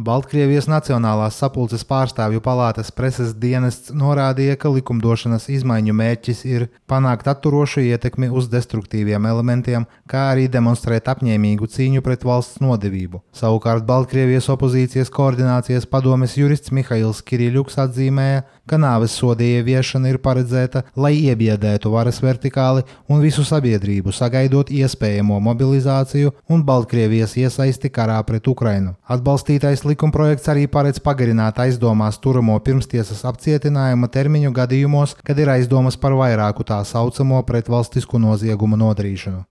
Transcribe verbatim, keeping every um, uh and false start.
Baltkrievijas Nacionālās sapulces pārstāvju palātas preses dienests norādīja, ka likumdošanas izmaiņu mērķis ir panākt atturošu ietekmi uz destruktīviem elementiem, kā arī demonstrēt apņēmīgu cīņu pret valsts nodevību. Savukārt Baltkrievijas opozīcijas koordinācijas padomes jurists Mihails Kiriļuks atzīmēja, ka nāves soda ieviešana ir paredzēta, lai iebiedētu varas vertikāli un visu sabiedrību, sagaidot iespējamo mobilizāciju un Baltkrievijas iesaisti karā pret Ukrainu. Atbalstītais likumprojekts arī paredz pagarināt aizdomās turamo pirmstiesas apcietinājuma termiņu gadījumos, kad ir aizdomas par vairāku tā saucamo pretvalstisku noziegumu nodarīšanu.